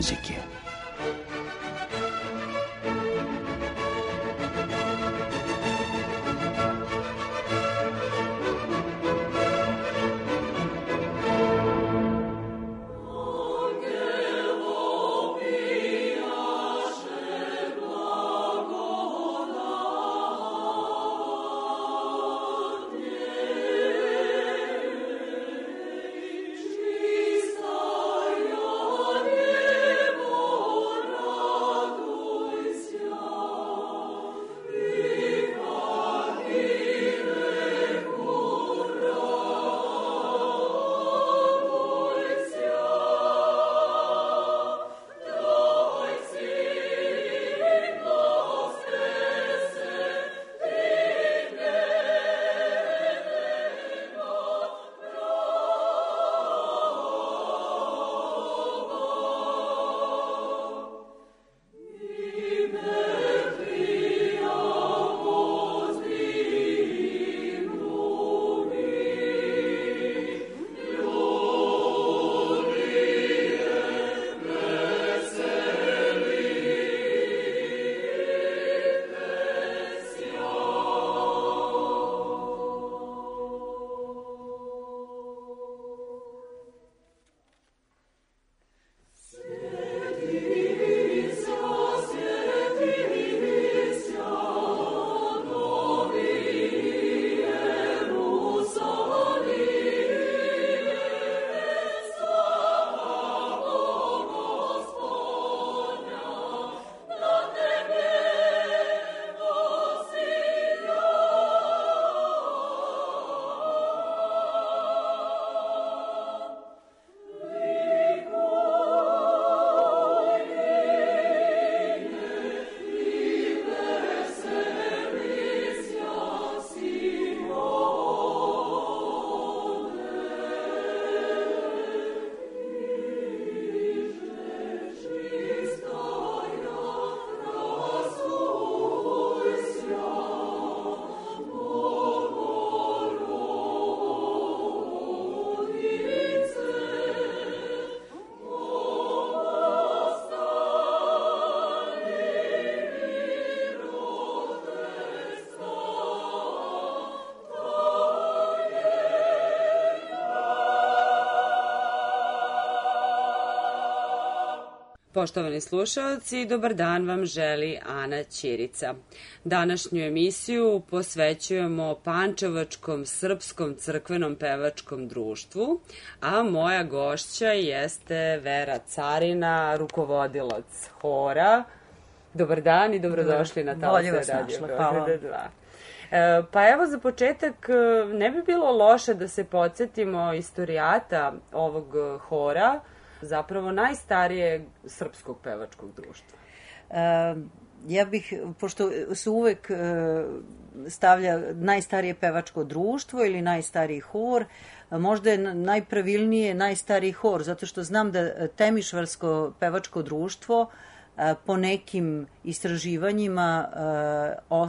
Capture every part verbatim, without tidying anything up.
muzike. Poštovani slušalci, dobar dan vam želi Ana Ćirica. Današnju emisiju posvećujemo Pančevačkom srpskom crkvenom pevačkom društvu, a moja gošća jeste Vera Carina, rukovodilac hora. Dobar dan i dobrodošli na Talase Radio Beograda dva. Pa evo za početak, ne bi bilo loše da se podsjetimo istorijata ovog hora, zapravo najstarijeg srpskog pevačkog društva. E, ja bih, pošto se uvek stavlja najstarije pevačko društvo ili najstariji hor, možda je najpravilnije najstariji hor, zato što znam da Temišvarsko pevačko društvo po nekim istraživanjima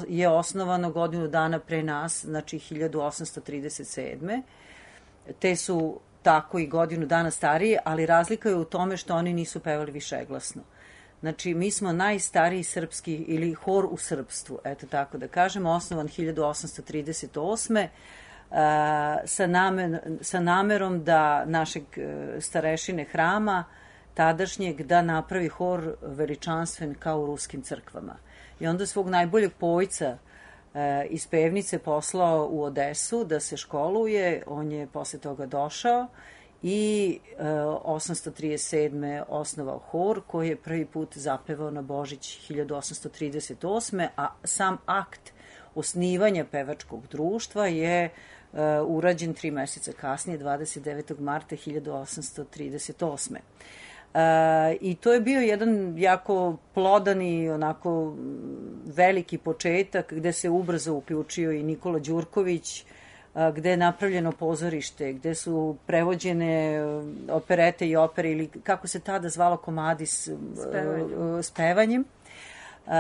je osnovano godinu dana pre nas, znači hiljadu osamsto trideset sedme. Te su tako i godinu dana stariji, ali razlika je u tome što oni nisu pevali višeglasno. Znači, mi smo najstariji srpski ili hor u srpstvu, eto tako da kažemo, osnovan hiljadu osamsto trideset osme sa, namer, sa namerom da našeg starešine hrama, tadašnjeg, da napravi hor veličanstven kao u ruskim crkvama. I onda svog najboljeg pojca iz pevnice poslao u Odesu da se školuje, on je posle toga došao i osamsto trideset sedme osnovao hor koji je prvi put zapevao na Božić hiljadu osamsto trideset osme, a sam akt osnivanja pevačkog društva je urađen tri meseca kasnije, dvadeset devetog marta hiljadu osamsto trideset osme. Uh, i to je bio jedan jako plodan i onako veliki početak gde se ubrzo uključio i Nikola Đurković, uh, gde je napravljeno pozorište, gde su prevođene operete i opere ili kako se tada zvalo komadi s spevanjem, uh, spevanjem. Uh,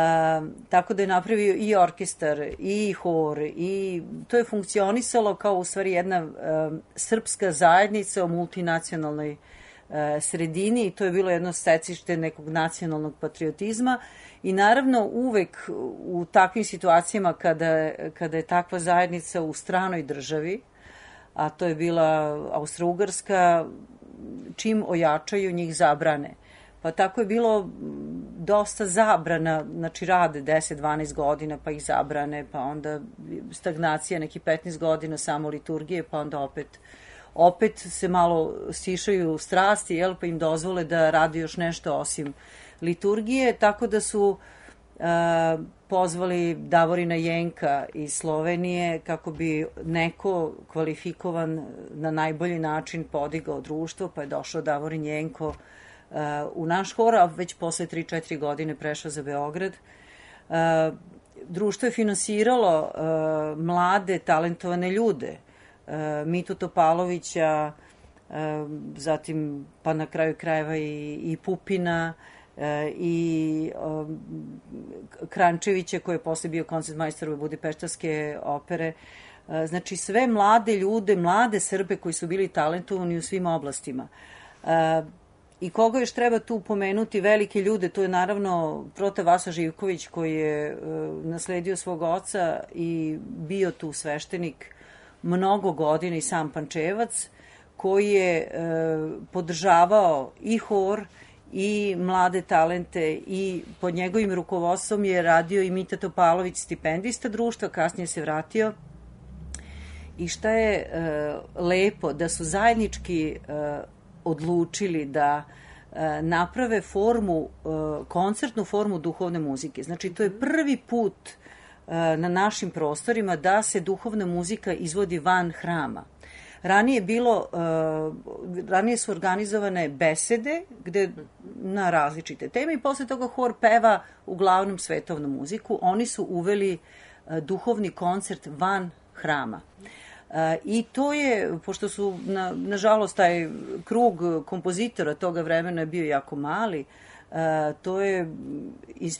tako da je napravio i orkestar i hor i to je funkcionisalo kao u stvari jedna uh, srpska zajednica u multinacionalnoj sredini i to je bilo jedno stecište nekog nacionalnog patriotizma i naravno uvek u takvim situacijama kada, kada je takva zajednica u stranoj državi, a to je bila Austro-Ugarska, čim ojačaju njih zabrane. Pa tako je bilo dosta zabrana, znači rade deset do dvanaest godina pa ih zabrane, pa onda stagnacija neki petnaest godina samo liturgije, pa onda opet opet se malo stišaju strasti, jel, pa im dozvole da radi još nešto osim liturgije, tako da su uh, pozvali Davorina Jenka iz Slovenije kako bi neko kvalifikovan na najbolji način podigao društvo, pa je došao Davorin Jenko uh, u naš hor, a već posle tri četiri godine prešao za Beograd. Uh, društvo je finansiralo uh, mlade, talentovane ljude, Mitu Topalovića, zatim pa na kraju krajeva i, i Pupina i Krančevića koji je posle bio koncertmajstor u Budipeštanske opere. Znači sve mlade ljude, mlade Srbe koji su bili talentovani u svim oblastima. I koga još treba tu pomenuti, velike ljude, to je naravno Prote Vasa Živković koji je nasledio svog oca i bio tu sveštenik mnogo godina i sam Pančevac, koji je e, podržavao i hor i mlade talente i pod njegovim rukovodstvom je radio i Mita Topalović, stipendista društva, kasnije se vratio. I šta je e, lepo, da su zajednički e, odlučili da e, naprave formu, e, koncertnu formu duhovne muzike. Znači, to je prvi put na našim prostorima da se duhovna muzika izvodi van hrama. Ranije bilo, ranije su organizovane besede gde na različite teme i posle toga hor peva uglavnom svetovnu muziku. Oni su uveli duhovni koncert van hrama. I to je, pošto su, na, nažalost, taj krug kompozitora toga vremena je bio jako mali, Uh, to je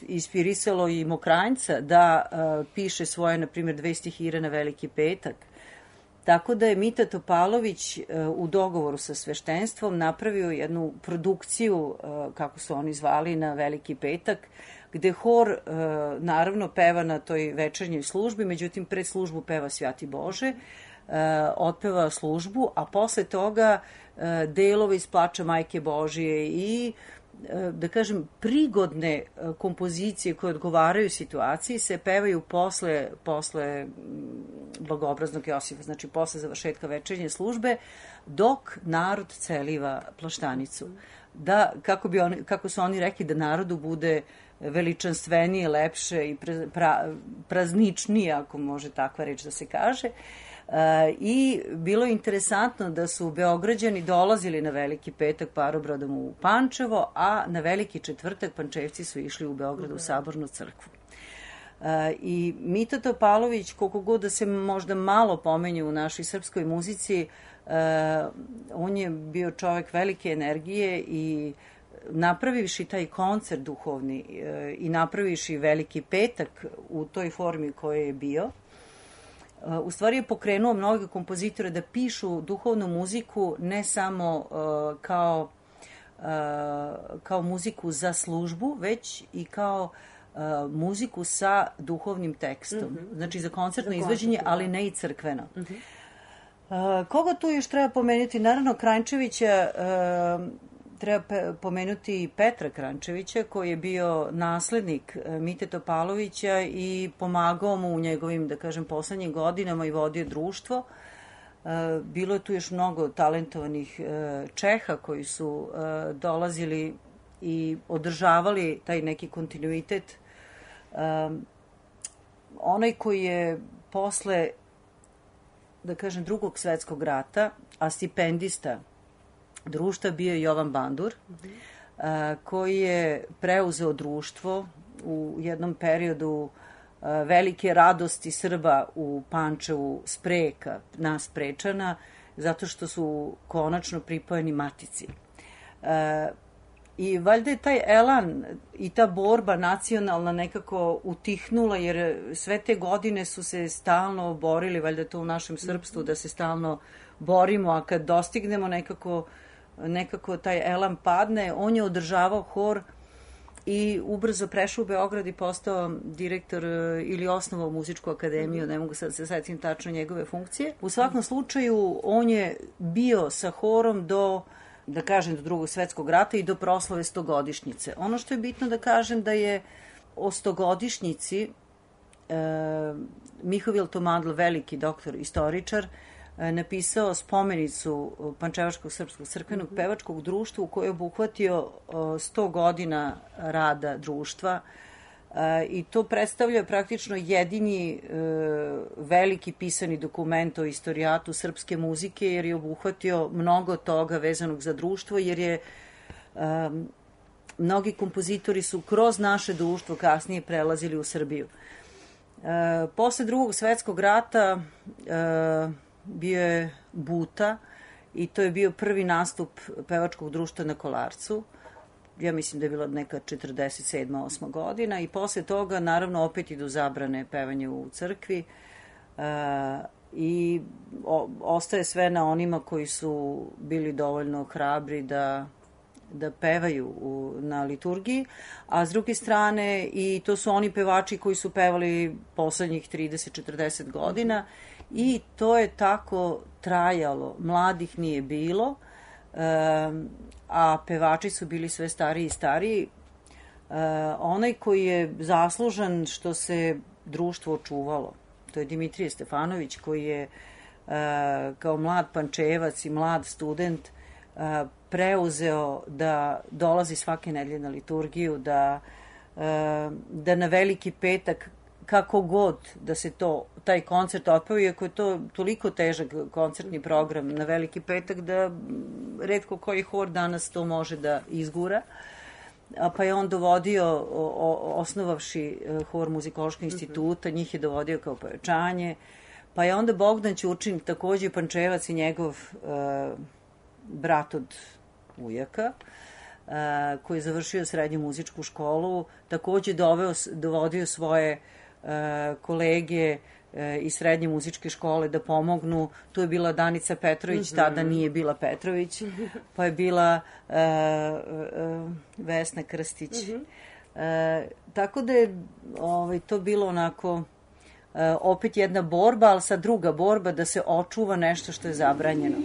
inspirisalo i Mokranjca da uh, piše svoje, na primjer, dve stihire na Veliki petak. Tako da je Mita Topalović uh, u dogovoru sa sveštenstvom napravio jednu produkciju, uh, kako su oni zvali, na Veliki petak, gde hor uh, naravno peva na toj večernjoj službi, međutim pred službu peva Svjati Bože, uh, otpeva službu, a posle toga uh, delove iz Plača Majke Božije i da kažem, prigodne kompozicije koje odgovaraju situaciji se pevaju posle, posle Blagoobraznog Josifa, znači posle završetka večernje službe, dok narod celiva plaštanicu. Da, kako, bi oni, kako su oni rekli, da narodu bude veličanstvenije, lepše i pra, pra, prazničnije, ako može takva reč da se kaže. Uh, i bilo je interesantno da su Beograđani dolazili na Veliki petak parobrodom u Pančevo, a na Veliki četvrtak Pančevci su išli u Beogradu u Sabornu crkvu. Uh, I Mita Topalović, koliko god da se možda malo pomenju u našoj srpskoj muzici, uh, on je bio čovek velike energije i napravivši taj koncert duhovni uh, i napravivši Veliki petak u toj formi koje je bio, u stvari je pokrenuo mnoge kompozitore da pišu duhovnu muziku ne samo uh, kao, uh, kao muziku za službu, već i kao uh, muziku sa duhovnim tekstom. Mm-hmm. Znači za koncertno izvođenje, ali ne i crkveno. Mm-hmm. Uh, koga tu još treba pomenuti? Naravno, Krančevića, uh, treba pomenuti Petra Krančevića, koji je bio naslednik Mite Topalovića i pomagao mu u njegovim, da kažem, poslednjim godinama i vodio društvo. Bilo je tu još mnogo talentovanih Čeha koji su dolazili i održavali taj neki kontinuitet. Onaj koji je posle, da kažem, drugog svetskog rata, a stipendista društva bio je Jovan Bandur, mm-hmm. a, koji je preuzeo društvo u jednom periodu a, velike radosti Srba u Pančevu, Spreka, nas Prečana, zato što su konačno pripojeni Matici. A, I valjda je taj elan i ta borba nacionalna nekako utihnula, jer sve te godine su se stalno borili, valjda to u našem srpstvu, da se stalno borimo, a kad dostignemo nekako nekako taj elan padne, on je održavao hor i ubrzo prešao u Beograd i postao direktor ili osnovao muzičku akademiju, ne mogu sad se setim tačno njegove funkcije. U svakom slučaju, on je bio sa horom do, da kažem, do drugog svetskog rata i do proslave stogodišnjice. Ono što je bitno da kažem da je o stogodišnjici e, Mihovil Tomadl, veliki doktor, istoričar, napisao spomenicu Pančevačkog srpskog crkvenog pevačkog društva u kojoj je obuhvatio sto godina rada društva i to predstavlja praktično jedini veliki pisani dokument o istorijatu srpske muzike jer je obuhvatio mnogo toga vezanog za društvo jer je mnogi kompozitori su kroz naše društvo kasnije prelazili u Srbiju. Posle drugog svetskog rata bio je Buta i to je bio prvi nastup pevačkog društva na Kolarcu. Ja mislim da je bila neka četrdeset sedma osma godina i posle toga naravno opet idu zabrane pevanje u crkvi uh, i o, ostaje sve na onima koji su bili dovoljno hrabri da da pevaju u, na liturgiji, a s druge strane i to su oni pevači koji su pevali poslednjih trideset četrdeset godina i to je tako trajalo. Mladih nije bilo, um, a pevači su bili sve stariji i stariji. Uh, onaj koji je zaslužan što se društvo očuvalo, to je Dimitrije Stefanović koji je uh, kao mlad Pančevac i mlad student uh, preuzeo da dolazi svake nedelje na liturgiju, da, da na Veliki petak, kako god da se to, taj koncert otpeo, iako je to toliko težak koncertni program na Veliki petak, da retko koji hor danas to može da izgura. Pa je on dovodio, osnovavši hor Muzikološkog instituta, njih je dovodio kao pojačanje. Pa je onda Bogdan Ćurčin, takođe Pančevac i njegov uh, brat od ujaka, uh, koji je završio srednju muzičku školu, takođe doveo, dovodio svoje uh, kolege uh, iz srednje muzičke škole da pomognu. Tu je bila Danica Petrović, mm-hmm. tada nije bila Petrović, pa je bila uh, uh, Vesna Krstić. Mm-hmm. uh, tako da je ovaj, to bilo onako uh, opet jedna borba, ali sad druga borba da se očuva nešto što je zabranjeno.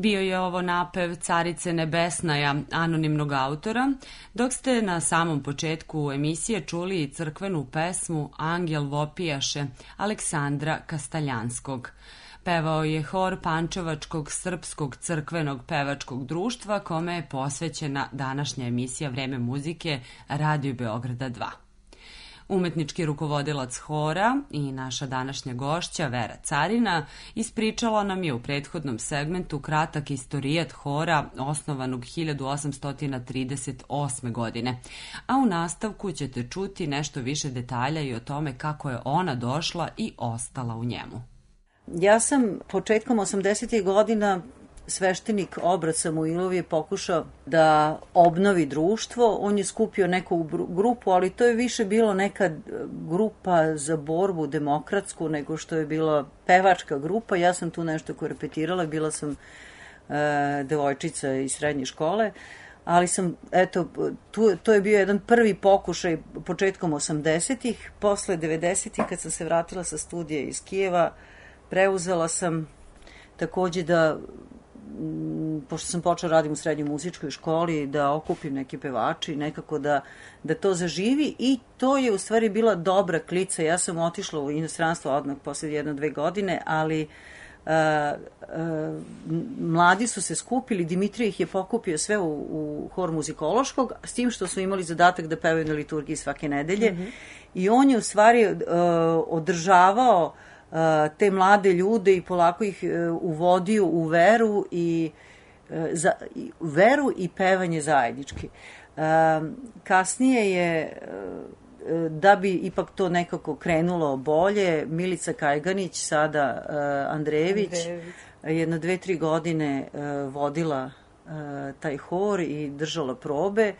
Bio je ovo napev Carice Nebesnaja, anonimnog autora, dok ste na samom početku emisije čuli i crkvenu pesmu Angel vopijaše Aleksandra Kastaljanskog. Pevao je hor Pančevačkog srpskog crkvenog pevačkog društva, kome je posvećena današnja emisija Vreme muzike Radio Beograda dva. Umetnički rukovodilac hora i naša današnja gošća Vera Carina ispričala nam je u prethodnom segmentu kratak istorijat hora osnovanog hiljadu osamsto trideset osme. godine, a u nastavku ćete čuti nešto više detalja i o tome kako je ona došla i ostala u njemu. Ja sam početkom osamdesetih godina sveštenik Obrat Samuilov je pokušao da obnovi društvo. On je skupio neku grupu, ali to je više bilo neka grupa za borbu demokratsku nego što je bila pevačka grupa. Ja sam tu nešto korepetirala, bila sam e, devojčica iz srednje škole, ali sam, eto, tu, to je bio jedan prvi pokušaj početkom osamdesetih. Posle devedesetih, kad sam se vratila sa studija iz Kijeva, preuzela sam takođe da, pošto sam počela radim u srednjoj muzičkoj školi, da okupim neke pevači, nekako da, da to zaživi, i to je u stvari bila dobra klica. Ja sam otišla u inostranstvo odmah posle jedno, dve godine, ali uh, uh, mladi su se skupili, Dimitrije ih je pokupio sve u, u hor muzikološkog, s tim što su imali zadatak da pevaju na liturgiji svake nedelje, mm-hmm. i on je u stvari uh, održavao te mlade ljude i polako ih uvodio u veru i za, i veru i pevanje zajednički. Kasnije je, da bi ipak to nekako krenulo bolje, Milica Kajganić, sada Andrejević, Andrejević. jedno dve, tri godine vodila taj hor i držala probe.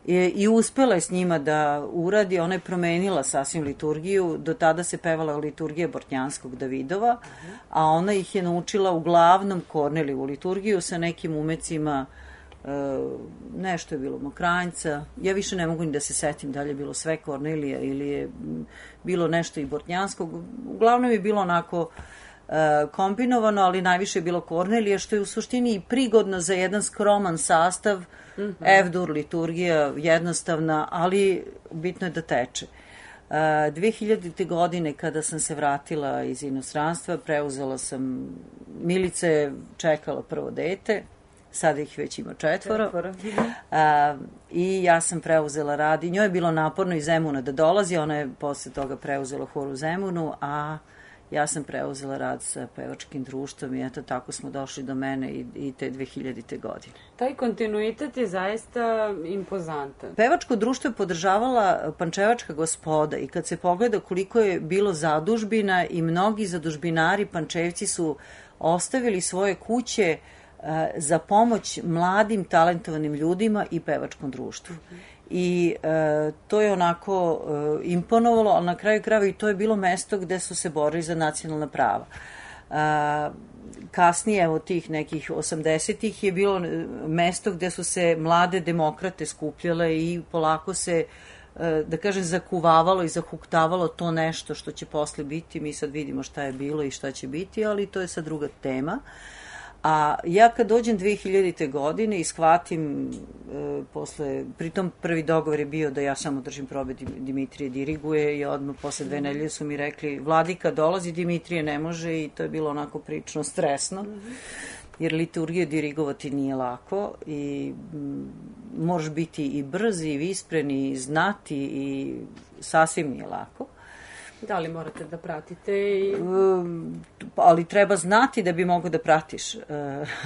I, i uspela je s njima da uradi. Ona je promenila sasvim liturgiju. Do tada se pevala liturgija Bortnjanskog Davidova, a ona ih je naučila uglavnom Korneliju liturgiju sa nekim umecima, e, nešto je bilo Mokranjca. Ja više ne mogu ni da se setim da li je bilo sve Kornelija ili je bilo nešto i Bortnjanskog. Uglavnom je bilo onako e, kombinovano, ali najviše je bilo Kornelija, što je u suštini i prigodno za jedan skroman sastav. Mm-hmm. F-dur, liturgija, jednostavna, ali bitno je da teče. dve hiljadite. godine, kada sam se vratila iz inostranstva, preuzela sam, Milica je čekala prvo dete, sada ih već ima četvoro, četvoro. A, i ja sam preuzela rad, i njoj je bilo naporno iz Zemuna da dolazi, ona je posle toga preuzela hor u Zemunu, a ja sam preuzela rad sa pevačkim društvom, i eto tako smo došli do mene i, i te dve hiljadite. godine. Taj kontinuitet je zaista impozantan. Pevačko društvo je podržavala Pančevačka gospoda, i kad se pogleda koliko je bilo zadužbina, i mnogi zadužbinari Pančevci su ostavili svoje kuće uh, za pomoć mladim talentovanim ljudima i pevačkom društvu. Mm-hmm. I e, to je onako e, imponovalo, ali na kraju krajeva i to je bilo mesto gde su se borili za nacionalna prava. E, kasnije, evo tih nekih osamdesetih, je bilo mesto gde su se mlade demokrate skupljale i polako se, e, da kažem, zakuvavalo i zahuktavalo to nešto što će posle biti. Mi sad vidimo šta je bilo i šta će biti, ali to je sad druga tema. A ja kad dođem dve hiljadite. godine i shvatim, e, posle, pritom prvi dogovor je bio da ja samo držim probe, Dimitrije diriguje, i odmah posle dve nedelje su mi rekli, Vladika dolazi, Dimitrije ne može, i to je bilo onako prilično stresno, jer liturgiju dirigovati nije lako i m, možeš biti i brz i vispren i znati, i sasvim nije lako. Da li morate da pratite? I... Um, ali treba znati da bi mogo da pratiš, uh,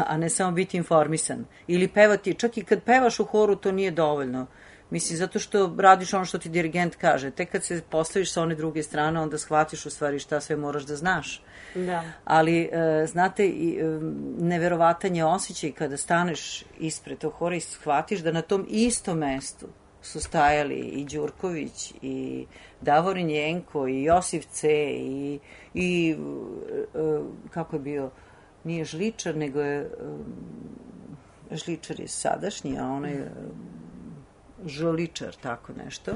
a ne samo biti informisan. Ili pevati, čak i kad pevaš u horu to nije dovoljno. Mislim, zato što radiš ono što ti dirigent kaže. Tek kad se postaviš sa one druge strane, onda shvatiš u stvari šta sve moraš da znaš. Da. Ali, uh, znate, i, um, neverovatan je osjećaj kada staneš ispred tog hora i shvatiš da na tom istom mestu su stajali i Đurković, i Davorin Jenko, i Josif C, i, i uh, kako je bio, nije Žličar, nego je um, Žličar je sadašnji, a onaj je Žoličar, tako nešto.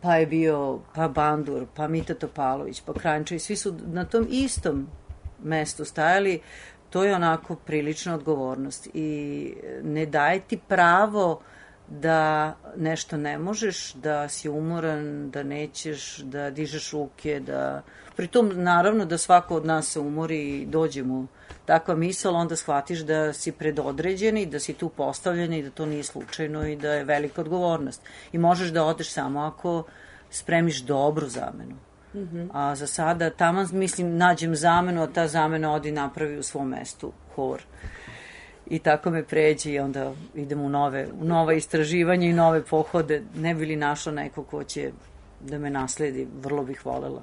Pa je bio, pa Bandur, pa Mita Topalović, pa Kranjčević, svi su na tom istom mestu stajali. to je onako prilična odgovornost i ne daje ti pravo da nešto ne možeš, da si umoran, da nećeš, da dižeš ruke, da... Pritom, naravno, da svako od nas se umori i dođe mu takva misal, onda shvatiš da si predodređen i da si tu postavljen i da to nije slučajno i da je velika odgovornost. I možeš da odeš samo ako spremiš dobru zamenu. Mm-hmm. A za sada, tamo, mislim, nađem zamenu, a ta zamena odi napravi u svom mestu hor. I tako me pređe i onda idem u nove, u nova istraživanja i nove pohode. Ne bi li našla neko ko će da me nasledi, vrlo bih volela.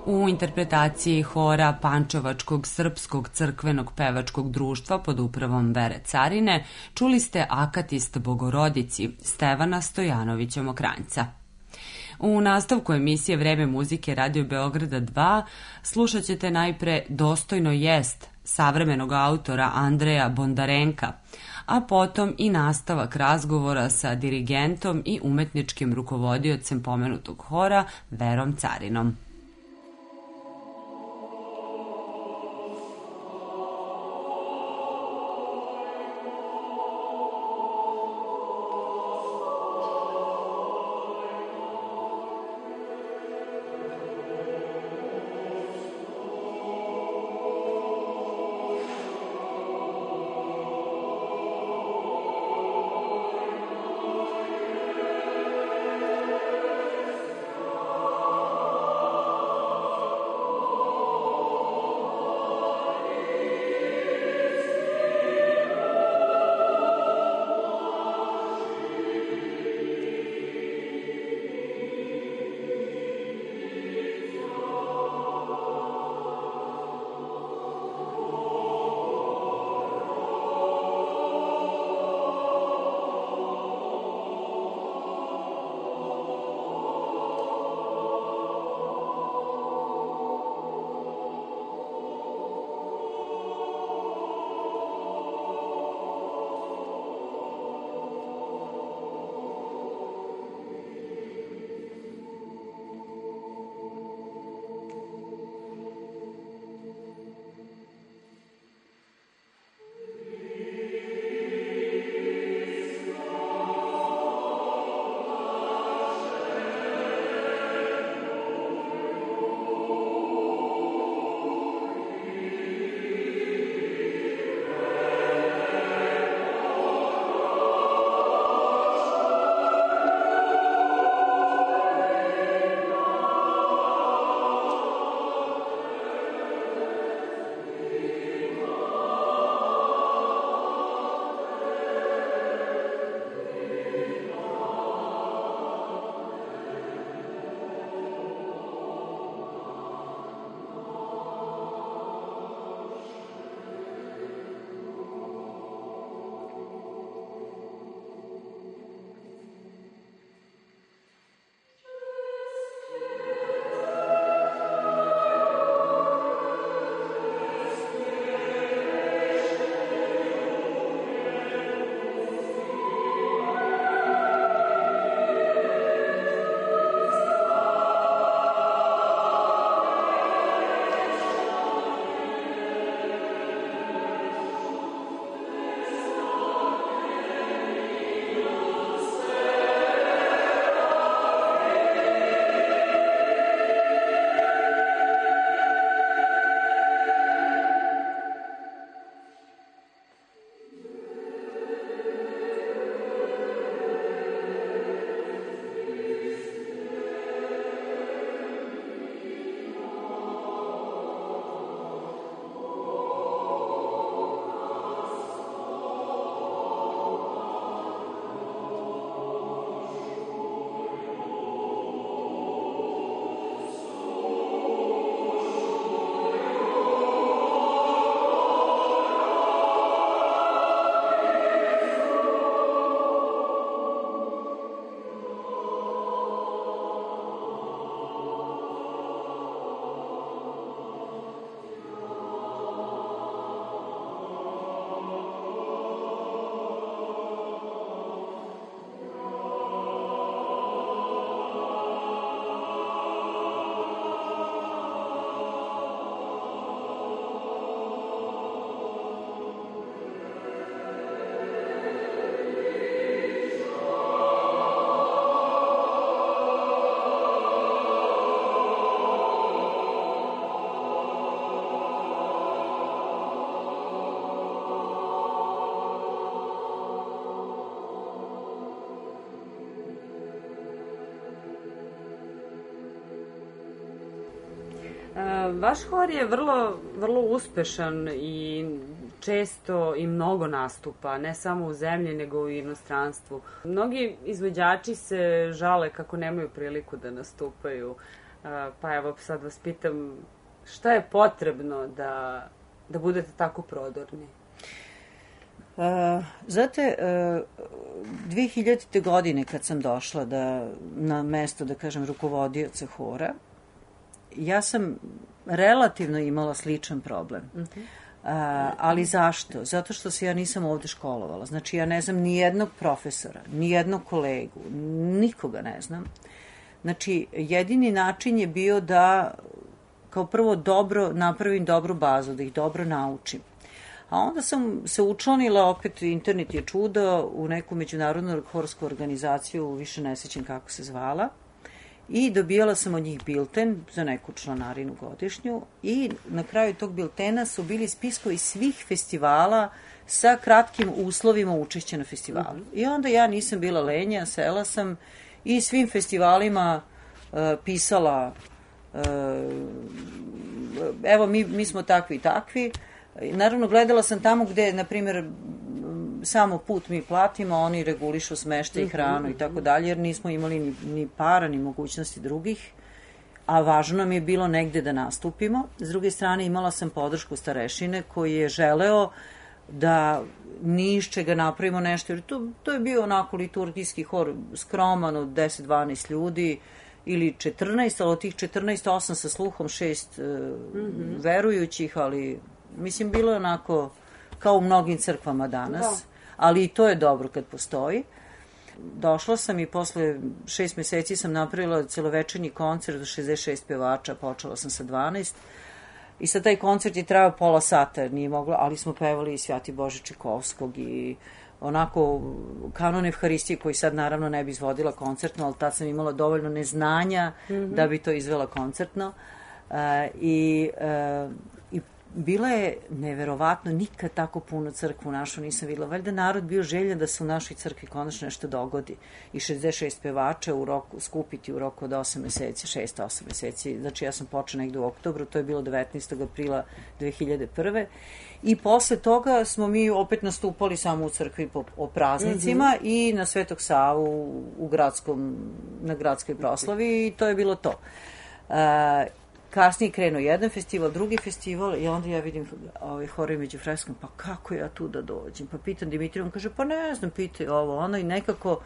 U interpretaciji hora Pančevačkog srpskog crkvenog pevačkog društva pod upravom Vere Carine čuli ste Akatist Bogorodici Stevana Stojanovića Mokranjca. U nastavku emisije Vreme muzike Radio Beograda dva slušat ćete najpre Dostojno jest savremenog autora Andreja Bondarenka, a potom i nastavak razgovora sa dirigentom i umetničkim rukovodiocem pomenutog hora Verom Carinom. Vaš hor je vrlo, vrlo uspešan i često i mnogo nastupa, ne samo u zemlji, nego i u inostranstvu. Mnogi izvođači se žale kako nemaju priliku da nastupaju. Pa evo, sad vas pitam, šta je potrebno da, da budete tako prodorni? Uh, znate, uh, dve hiljadite. godine kad sam došla da, na mesto, da kažem, rukovodioca hora, ja sam relativno imala sličan problem. Uh-huh. Uh, ali zašto? Zato što se ja nisam ovde školovala. Znači, ja ne znam ni jednog profesora, ni jednog kolegu, nikoga ne znam. Znači, jedini način je bio da kao prvo dobro napravim dobru bazu, da ih dobro naučim. A onda sam se učlanila, opet internet je čudo, u neku međunarodnu horsku organizaciju, više ne sećam kako se zvala, i dobijala sam od njih bilten za neku članarinu godišnju i na kraju tog biltena su bili spiskovi svih festivala sa kratkim uslovima učešća na festivalu. Mm-hmm. I onda ja nisam bila lenja, sela sam i svim festivalima uh, pisala uh, evo mi, mi smo takvi i takvi. Naravno, gledala sam tamo gde, na primjer, samo put mi platimo, oni regulišu smeštaj i hranu i tako dalje, jer nismo imali ni, ni para, ni mogućnosti drugih, a važno nam je bilo negde da nastupimo. S druge strane, imala sam podršku starešine koji je želeo da ni iz čega napravimo nešto, jer to, to je bio onako liturgijski hor, skroman od deset do dvanaest ljudi, ili četrnaest, ali od tih četrnaest, osam sa sluhom, šest uh, mm-hmm. verujućih, ali mislim, bilo je onako kao u mnogim crkvama danas, da. Ali i to je dobro kad postoji. Došla sam i posle šest meseci sam napravila celovečernji koncert do šezdeset šest pevača, počela sam sa dvanaest. I sad taj koncert je trajao pola sata, nije moglo, ali smo pevali i Svjati Bože Čekovskog i onako kanon Evharistije koji sad naravno ne bi izvodila koncertno, ali tad sam imala dovoljno neznanja mm-hmm. da bi to izvela koncertno. Uh, i, uh, i bila je neverovatno, nikad tako puno crkvu našu nisam videla. Valjda narod bio željan da se u našoj crkvi konačno nešto dogodi. I šezdeset šest pevača u roku, skupiti u roku od osam meseci, šest osam meseci. Znači ja sam počela negde u oktobru, to je bilo devetnaestog aprila dve hiljade prve. I posle toga smo mi opet nastupali samo u crkvi po, o praznicima mm-hmm. i na Svetog Savu u gradskom, na gradskoj proslavi i to je bilo to. Uh, Kasnije krenuo jedan festival, drugi festival i onda ja vidim ovaj horovi među freskom, pa kako ja tu da dođem? Pa pitam Dimitrija, on kaže, pa ne znam, pitaj ovo, ono i nekako,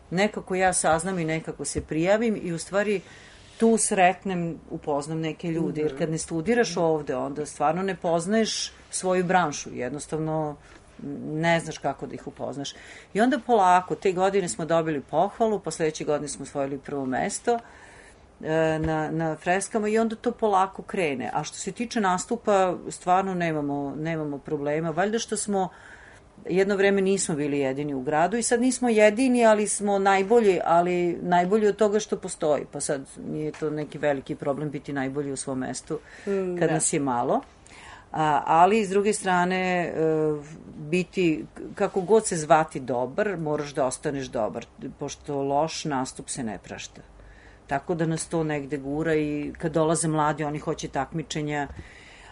nekako ja saznam i nekako se prijavim i u stvari tu sretnem, upoznam neke ljude, jer kad ne studiraš ovde, onda stvarno ne poznaješ svoju branšu, jednostavno ne znaš kako da ih upoznaš. I onda polako, te godine smo dobili pohvalu, pa sledeće godine smo osvojili prvo mesto na, na freskama i onda to polako krene. A što se tiče nastupa, stvarno nemamo, nemamo problema. Valjda što smo jedno vreme nismo bili jedini u gradu i sad nismo jedini, ali smo najbolji, ali najbolji od toga što postoji. Pa sad nije to neki veliki problem biti najbolji u svom mestu mm, kad da. nas je malo. A, ali s druge strane e, biti, kako god se zvati dobar, moraš da ostaneš dobar, pošto loš nastup se ne prašta. Tako da nas to negde gura i kad dolaze mladi, oni hoće takmičenja.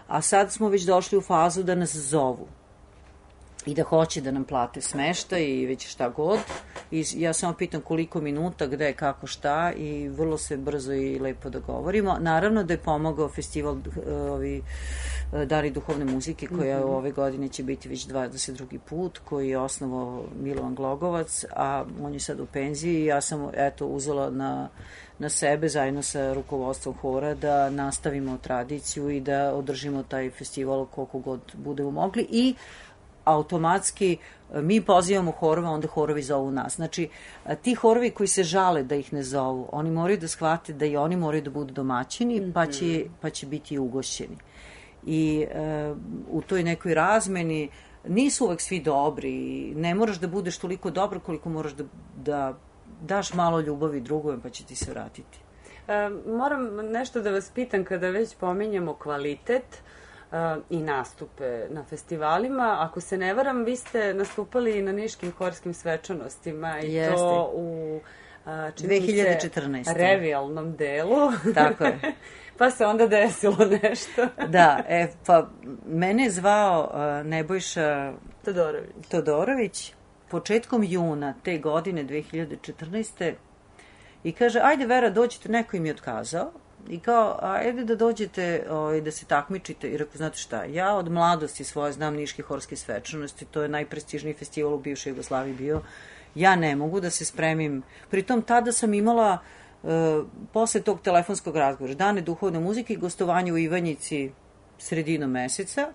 A sad smo već došli u fazu da nas zovu i da hoće da nam plate smeštaj i već šta god. I ja samo pitam koliko minuta, gde, kako, šta i vrlo se brzo i lepo dogovorimo. Naravno da je pomogao festival ovi, Dani duhovne muzike koja mm-hmm. ove godine će biti već dvadeset drugi put, koji je osnovao Milovan Glogovac, a on je sad u penziji i ja sam eto uzela na na sebe zajedno sa rukovodstvom hora da nastavimo tradiciju i da održimo taj festival koliko god budemo mogli i automatski mi pozivamo horova, onda horovi zovu nas. Znači, ti horovi koji se žale da ih ne zovu, oni moraju da shvate da i oni moraju da budu domaćini, mm-hmm. pa, će, pa će biti ugošćeni. I uh, u toj nekoj razmeni nisu uvek svi dobri, ne moraš da budeš toliko dobro koliko moraš da, da daš malo ljubavi drugom, pa će ti se vratiti. E, moram nešto da vas pitam kada već pominjemo kvalitet e, i nastupe na festivalima. Ako se ne varam, vi ste nastupali na Niškim horskim svečanostima i Jeste. to u a, dve hiljade četrnaeste. revijalnom delu. Tako je. Pa se onda desilo nešto. Da, e, pa mene je zvao uh, Nebojša Todorović. Todorović početkom juna te godine dve hiljade četrnaeste. I kaže, ajde Vera, dođite, neko im je otkazao. I kao, ajde da dođete o, da se takmičite. I rekao, znate šta, ja od mladosti svoje znam Niške horske svečanosti, to je najprestižniji festival u bivšoj Jugoslaviji bio. Ja ne mogu da se spremim. Pritom tada sam imala, e, posle tog telefonskog razgovora, dane duhovne muzike i gostovanje u Ivanjici sredinom meseca,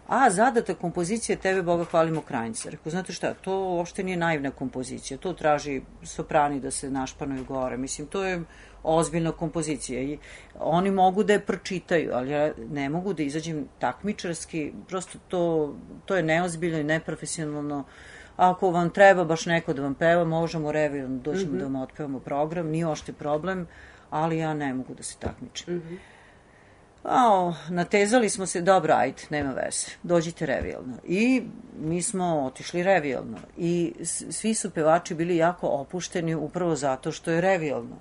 a zadata kompozicija Tebe Boga hvalimo Krajnjica. Rekao, znate šta, to uopšte nije naivna kompozicija, to traži soprani da se našpanuju gore. Mislim, to je ozbiljna kompozicija i oni mogu da je pročitaju, ali ja ne mogu da izađem takmičarski, prosto to, to je neozbiljno i neprofesionalno. Ako vam treba baš neko da vam peva, možemo revijalno, doćemo mm-hmm. da vam otpevamo program, nije ošte problem, ali ja ne mogu da se takmičim. Mm-hmm. A, natezali smo se, dobro, ajde, nema veze, dođite revijalno. I mi smo otišli revijalno. I svi su pevači bili jako opušteni upravo zato što je revijalno.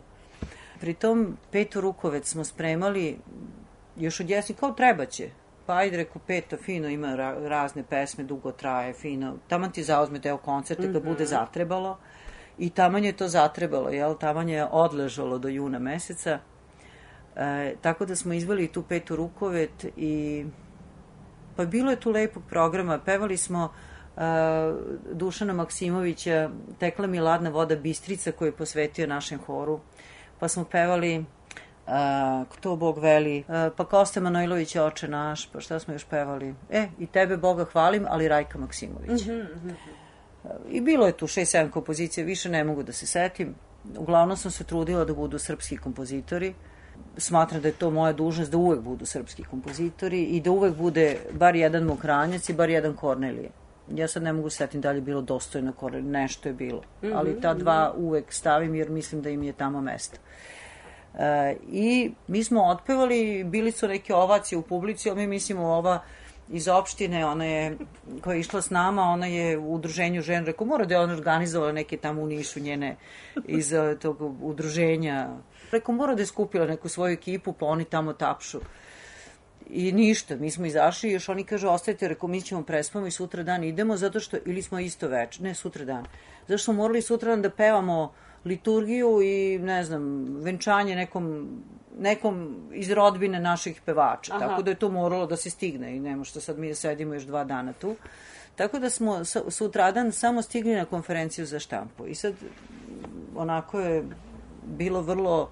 Pritom, Peto Rukovec smo spremali još od jesni, kao treba će. Pa ajde, reku, Peto, fino, ima ra- razne pesme, dugo traje, fino. Taman ti zauzme deo koncerta mm-hmm. kad bude zatrebalo. I taman je to zatrebalo, jel? Taman je odležalo do juna meseca. E, tako da smo izveli tu Petu Rukovet i pa bilo je tu lepog programa. Pevali smo e, Dušana Maksimovića, Tekla mi ladna voda Bistrica, koju je posvetio našem horu. Pa smo pevali uh, Kto Bog veli, uh, pa Kosta Manojlovića Oče naš, pa šta smo još pevali? E, i Tebe Boga hvalim, ali Rajka Maksimovića. Mm-hmm. Uh, I bilo je tu šest sedam kompozicija, više ne mogu da se setim. Uglavnom sam se trudila da budu srpski kompozitori. Smatram da je to moja dužnost da uvek budu srpski kompozitori i da uvek bude bar jedan Mokranjac i bar jedan Kornelije. Ja sad ne mogu setim da li je bilo dostojno Kornelije, nešto je bilo. Mm-hmm. Ali ta dva uvek stavim jer mislim da im je tamo mesto. E, I mi smo otpevali, bili su neke ovacije u publici, ali mi mislimo ova iz opštine, ona je, koja je išla s nama, ona je u udruženju žena, rekao, mora da je ona organizovala neke tamo u Nišu njene iz tog udruženja. Rekao, mora da je skupila neku svoju ekipu, pa oni tamo tapšu. I ništa, mi smo izašli i još oni kažu, ostajte, rekao, mi ćemo prespavamo i sutra dan idemo, zato što, ili smo isto več, ne sutra dan, zato što smo morali sutra dan da pevamo liturgiju i, ne znam, venčanje nekom, nekom iz rodbine naših pevača. Aha. Tako da je to moralo da se stigne i nema što sad mi da sedimo još dva dana tu. Tako da smo sutradan samo stigli na konferenciju za štampu. I sad, onako je bilo vrlo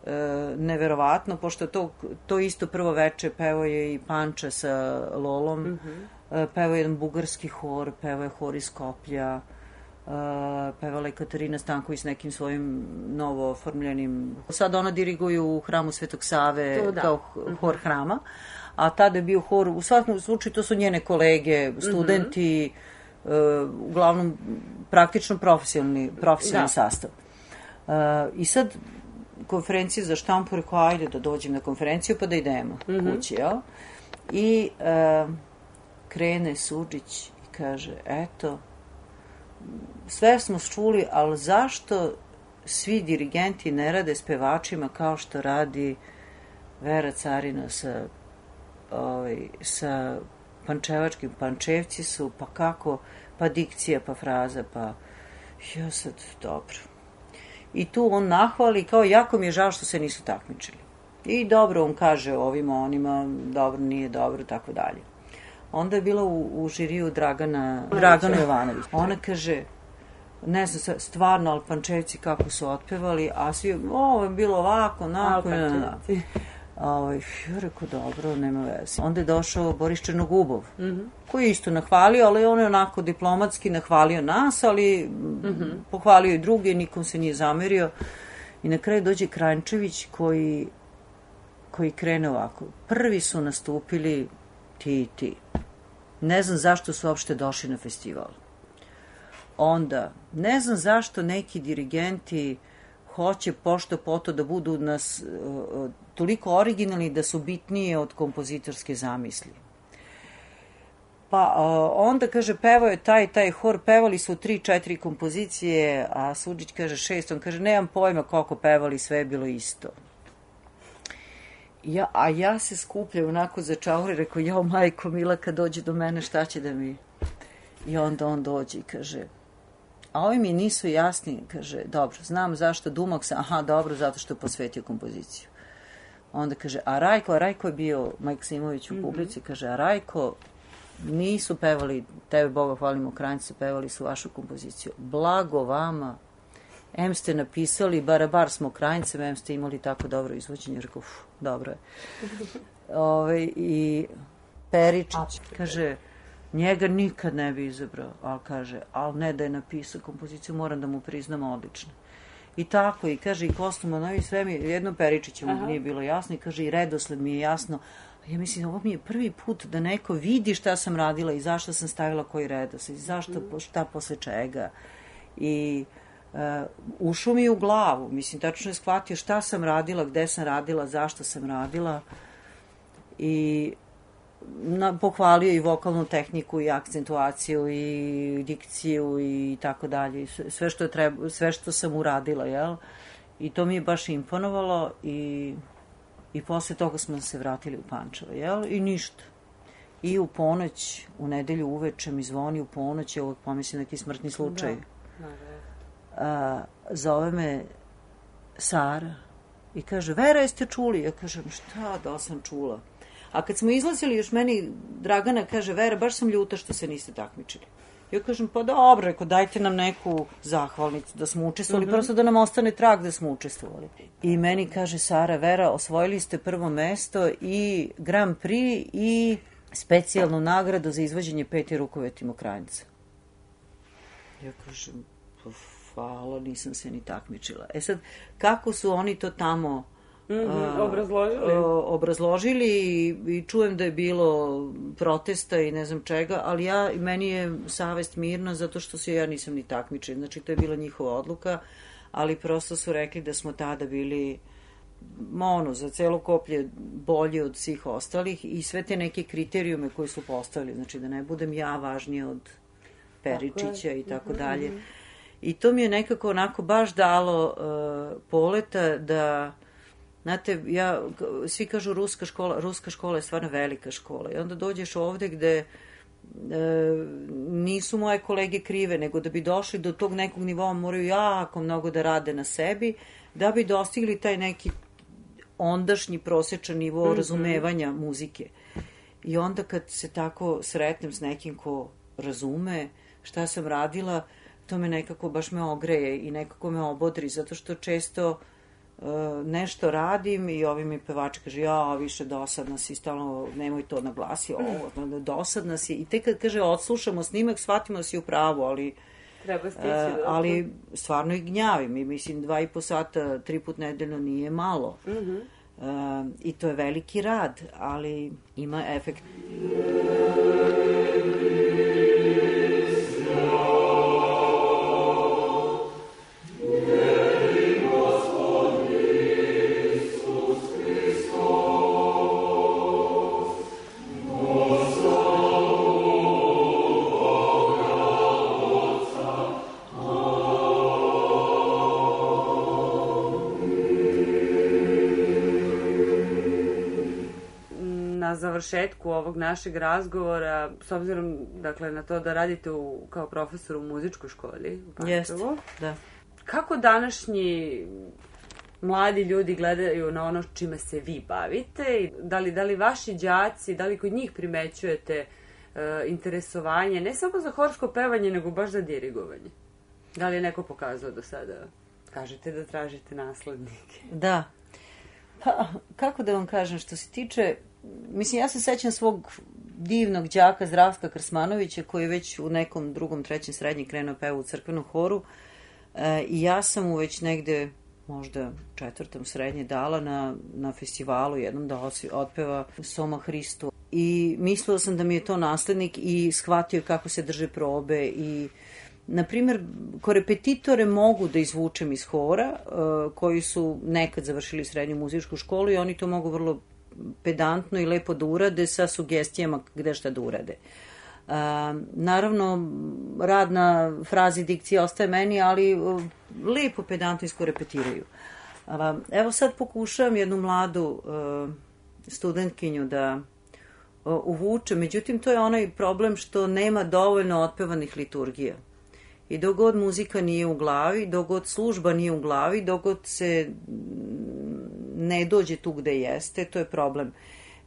e, neverovatno, pošto to, to isto prvo veče pevao je i Panča sa Lolom, mm-hmm. e, pevao je jedan bugarski hor, pevao je hor iz Skoplja, Uh, pevala je Katarina Stanković s nekim svojim novo oformljenim. Sad ona diriguje u hramu Svetog Save to, kao hor hrama, a tada je bio hor, u svakom slučaju to su njene kolege, studenti, mm-hmm. uh, uglavnom praktično profesionalni, profesionalni sastav. Uh, I sad konferencija za štampu, rekao, ajde da dođem na konferenciju pa da idemo mm-hmm. kući, jel? I uh, krene Suđić i kaže, eto, sve smo čuli, ali zašto svi dirigenti ne rade s pevačima kao što radi Vera Carina sa, ovaj, sa pančevačkim? Pančevci su, pa kako, pa dikcija, pa fraza, pa ja sad, dobro. I tu on nahvali, kao jako mi je žao što se nisu takmičili. I dobro, on kaže ovima, onima, dobro, nije dobro, tako dalje. Onda je bila u, u žiriju Dragana, Dragana Jovanović. Ona kaže, ne znam, stvarno, ali Pančevci kako su otpevali, a svi, ovo je bilo ovako, onako, ne, ne, ne. Ovaj, ja rekao, dobro, nema veze. Onda je došao Boris Černogubov, mm-hmm. koji je isto nahvalio, ali on je onako diplomatski nahvalio nas, ali mm-hmm. pohvalio i druge, nikom se nije zamerio. I na kraju dođe Kranjčević koji, koji krene ovako. Prvi su nastupili ti i ti. Ne znam zašto su uopšte došli na festival. Onda, ne znam zašto neki dirigenti hoće pošto poto da budu nas uh, toliko originalni da su bitnije od kompozitorske zamisli. Pa onda, kaže, pevao je taj, taj hor, pevali su tri, četiri kompozicije, a Suđić kaže šest, on kaže, nemam pojma koliko pevali, sve je bilo isto. Ja, a ja se skupljam onako za čauri, rekao, jao majko mila, kad dođe do mene, šta će da mi... I onda on dođe i kaže, a ovi mi nisu jasni, kaže, dobro, znam zašto Dumak sam, aha, dobro, zato što je posvetio kompoziciju. Onda kaže, a Rajko, a Rajko je bio Maksimović u publici, mm-hmm. kaže, a Rajko, nisu pevali, tebe Boga hvalimo, Kranjci, pevali su vašu kompoziciju. Blago vama, em ste napisali, barabar smo Kranjcem, em ste imali tako dobro izvođenje. Rekao, uf, dobro je. Ove, I Peričić, kaže, njega nikad ne bi izabrao, ali kaže, ali ne da je napisao kompoziciju, moram da mu priznam odlično. I tako, i kaže, i Kostumanovi, sve mi, jedno Peričiću mi nije bilo jasno, i kaže, i redosled mi je jasno. Ja mislim, ovo mi je prvi put da neko vidi šta sam radila i zašto sam stavila koji redosled, i zašto, šta posle čega. I uh, ušao mi u glavu, mislim, tačno je shvatio šta sam radila, gde sam radila, zašto sam radila. I na, pohvalio i vokalnu tehniku i akcentuaciju i dikciju i tako dalje, sve što je treba, sve što sam uradila, jel? I to mi je baš imponovalo i i posle toga smo se vratili u Pančevo, jel? I ništa. I u ponoć, u nedelju uveče mi zvoni u ponoć, je uvek pomislim neki smrtni slučaj. Da, da. A, zove me Sara i kaže, Vera, jeste čuli? Ja kažem, šta da sam čula? A kad smo izlazili, još meni Dragana kaže, Vera, baš sam ljuta što se niste takmičili. Ja kažem, pa dobro, reko, dajte nam neku zahvalnicu da smo učestvovali, mm-hmm. prosto da nam ostane trag da smo učestvovali. I meni kaže Sara, Vera, osvojili ste prvo mesto i Grand Prix i specijalnu nagradu za izvođenje Peti rukovetimo Kranjca. Ja kažem, pa hvala, nisam se ni takmičila. E sad, kako su oni to tamo... Mm-hmm, obrazložili. obrazložili i, i čujem da je bilo protesta i ne znam čega, ali ja, meni je savest mirna zato što se ja nisam ni takmičila. Znači, to je bila njihova odluka, ali prosto su rekli da smo tada bili ono, za celo koplje bolji od svih ostalih i sve te neke kriterijume koje su postavili. Znači, da ne budem ja važnija od Peričića tako i tako dalje. Mm-hmm. I to mi je nekako onako baš dalo uh, poleta da... Znate, ja, svi kažu ruska škola, ruska škola je stvarno velika škola i onda dođeš ovde gde e, nisu moje kolege krive, nego da bi došli do tog nekog nivoa moraju jako mnogo da rade na sebi, da bi dostigli taj neki ondašnji prosječan nivo mm-hmm. razumevanja muzike. I onda kad se tako sretnem s nekim ko razume šta sam radila, to me nekako baš me ogreje i nekako me obodri, zato što često nešto radim i ovi mi pevači kaže, ja, više dosadna si, stalno, nemoj to naglasi, ovo, dosadna si. I tek kad kaže, odslušamo snimak, shvatimo da si u pravu, ali treba stići, uh, ali stvarno i gnjavim i mislim, dva i po sata, tri put nedeljno nije malo. Mm-hmm. Uh, I to je veliki rad, ali ima efekt. Završetku ovog našeg razgovora, s obzirom dakle, na to da radite u, kao profesor u muzičkoj školi u Pančevu, da. Kako današnji mladi ljudi gledaju na ono čime se vi bavite? Da li, da li vaši đaci, da li kod njih primećujete uh, interesovanje, ne samo za horsko pevanje, nego baš za dirigovanje? Da li je neko pokazao do sada? Kažete da tražite naslednike. Da. Pa, kako da vam kažem, što se tiče... Mislim, ja se sećam svog divnog đaka Zdravka Krsmanovića koji je već u nekom drugom, trećem srednji krenuo peva u crkvenom horu e, i ja sam mu već negde možda četvrtom srednje dala na, na festivalu jednom da otpeva Soma Hristu i mislila sam da mi je to naslednik i shvatio kako se drže probe i na primjer, korepetitore mogu da izvučem iz hora uh, koji su nekad završili srednju muzičku školu i oni to mogu vrlo pedantno i lepo da urade sa sugestijama gde šta da urade. Naravno, rad na frazi dikcije ostaje meni, ali lepo pedantijsko repetiraju. Evo sad pokušavam jednu mladu studentkinju da uvuče, međutim to je onaj problem što nema dovoljno otpevanih liturgija. I dok god muzika nije u glavi, dok god služba nije u glavi, dok god se ne dođe tu gde jeste, to je problem.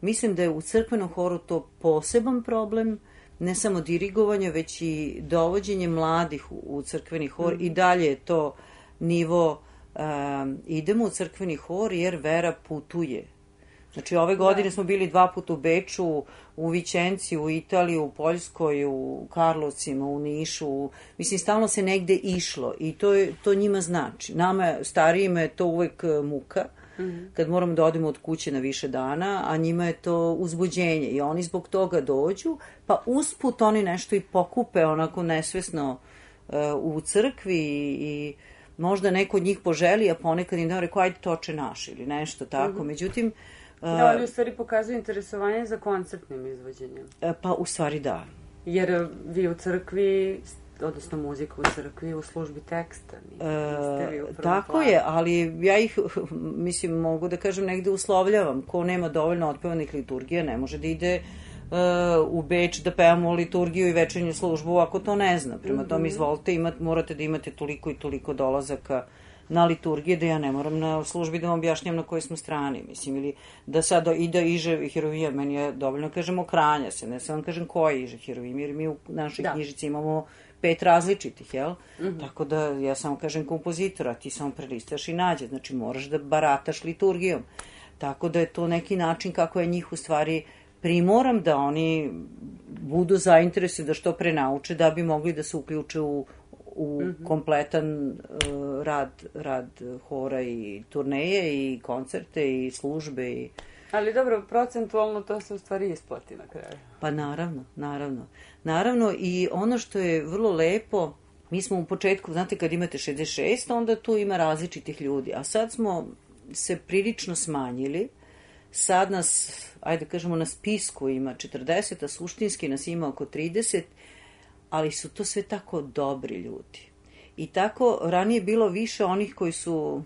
Mislim da je u crkvenom horu to poseban problem, ne samo dirigovanje, već i dovođenje mladih u crkveni hor. Mm. I dalje je to nivo, um, idemo u crkveni hor jer vera putuje. Znači, ove godine smo bili dva puta u Beču, u Vićenci, u Italiji, u Poljskoj, u Karlovcima, u Nišu. Mislim, stalno se negde išlo i to, je, to njima znači. Nama, starijima, je to uvek muka, mm-hmm. kad moramo da odemo od kuće na više dana, a njima je to uzbuđenje i oni zbog toga dođu, pa usput oni nešto i pokupe onako nesvesno uh, u crkvi i, i možda neko od njih poželi, a ponekad im da rekao, ajde toče naš ili nešto tako. Mm-hmm. Međutim, da, oni u stvari pokazuju interesovanje za koncertnim izvođenjem. Pa u stvari da. Jer vi u crkvi, odnosno muzika u crkvi, u službi teksta. Niste vi u prvom Tako planu. je, ali ja ih, mislim, mogu da kažem, negde uslovljavam. Ko nema dovoljno otpevanih liturgija, ne može da ide uh, u Beč da pevamo liturgiju i večernju službu ako to ne zna. Prema mm-hmm. tome, izvolite, imat, morate da imate toliko i toliko dolazaka na liturgije, da ja ne moram na službi da vam objašnjam na kojoj smo strani, mislim, ili da sad ide Iže Herovija, meni je dovoljno kažemo Kranja se, ne sam vam kažem koji Iže Herovija, jer mi u našoj da. knjižici imamo pet različitih, jel? Mm-hmm. Tako da ja samo kažem kompozitora, ti samo prelistaš i nađe, znači moraš da barataš liturgijom. Tako da je to neki način kako je njih u stvari primoram da oni budu zainteresovani da što pre nauče da bi mogli da se uključe u u mm-hmm. kompletan uh, rad, rad hora i turneje i koncerte i službe. I... Ali dobro, procentualno to se u stvari isplati na kraju. Pa naravno, naravno. Naravno i ono što je vrlo lepo, mi smo u početku, znate kad imate šezdeset šest, onda tu ima različitih ljudi, a sad smo se prilično smanjili. Sad nas, ajde kažemo, na spisku ima četrdeset, a suštinski nas ima oko trideset, ali su to sve tako dobri ljudi. I tako ranije bilo više onih koji su,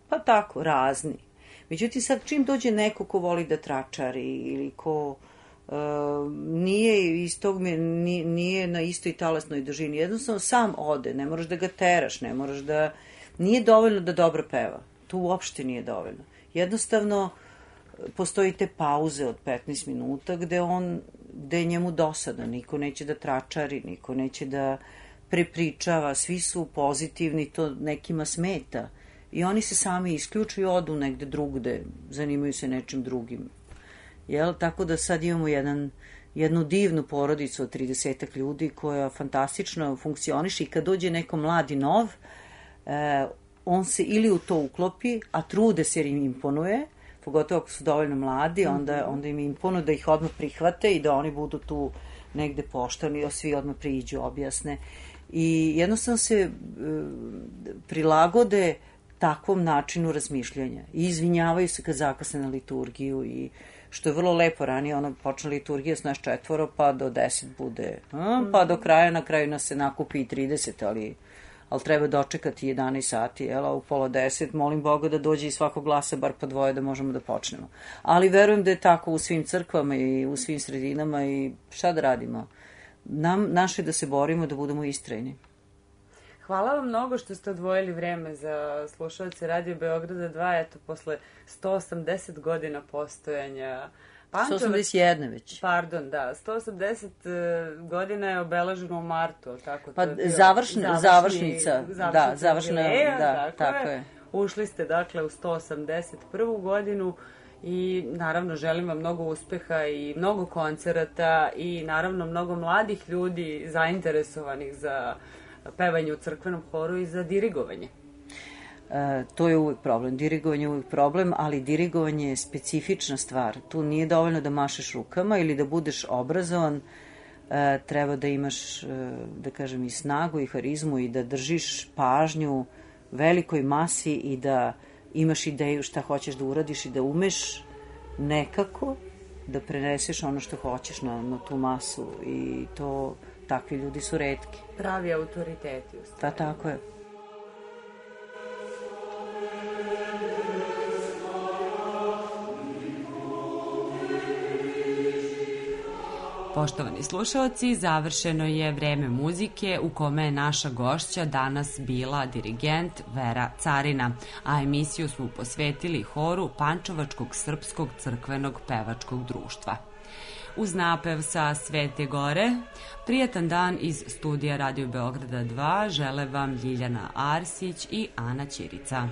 pa tako, razni. Međutim, sad čim dođe neko ko voli da tračari ili ko uh, nije, iz tog, nije, nije na istoj talasnoj dužini, jednostavno sam ode, ne moraš da ga teraš, ne moraš da... Nije dovoljno da dobro peva. To uopšte nije dovoljno. Jednostavno, postoji te pauze od petnaest minuta gde on gde je njemu dosadno, niko neće da tračari, niko neće da prepričava, svi su pozitivni, to nekima smeta. I oni se sami isključuju, odu negde drugde, zanimaju se nečim drugim. Jel? Tako da sad imamo jedan, jednu divnu porodicu od tridesetak ljudi koja fantastično funkcioniše i kad dođe neko mladi nov, eh, on se ili u to uklopi, a trude se jer im imponuje, pogotovo ako su dovoljno mladi, onda, onda im imponuje da ih odmah prihvate i da oni budu tu negde pošteni, svi odmah priđu, objasne. I jednostavno se e, prilagode takvom načinu razmišljanja. I izvinjavaju se kad zakasne na liturgiju i što je vrlo lepo, ranije ono počne liturgija s nas četvoro, pa do deset bude, a, pa do kraja, na kraju nas se nakupi i trideset, ali... ali treba dočekati jedanaest sati, jel, a u pola deset, molim Boga da dođe iz svakog glasa bar po dvoje da možemo da počnemo. Ali verujem da je tako u svim crkvama i u svim sredinama i šta da radimo? Nam, naše je da se borimo, da budemo istrajni. Hvala vam mnogo što ste odvojili vreme za slušalce Radio Beograda dva, eto, posle sto osamdeset godina postojanja. Pančevac, sto osamdeset jedan već. Pardon, da. sto osamdeset godina je obeleženo u martu, tako? Pa to je završni, završni, završnica, završnica, da, završna, jubileja, da, tako, tako je. je. Ušli ste, dakle, u sto osamdeset prvu godinu i, naravno, želim vam mnogo uspeha i mnogo koncerata i, naravno, mnogo mladih ljudi zainteresovanih za pevanje u crkvenom horu i za dirigovanje. E, to je uvek problem. Dirigovanje je uvek problem, ali dirigovanje je specifična stvar. Tu nije dovoljno da mašeš rukama ili da budeš obrazovan. E, treba da imaš, e, da kažem, i snagu i harizmu i da držiš pažnju velikoj masi i da imaš ideju šta hoćeš da uradiš i da umeš nekako da preneseš ono što hoćeš na, na tu masu i to, takvi ljudi su retki. Pravi autoriteti. Pa tako je. Poštovani slušaoci, završeno je vreme muzike u kome je naša gošća danas bila dirigent Vera Carina, a emisiju smo posvetili horu Pančevačkog srpskog crkvenog pevačkog društva. Uz napev sa Svete Gore, prijatan dan iz studija Radio Beograda dva žele vam Ljiljana Arsić i Ana Ćirica.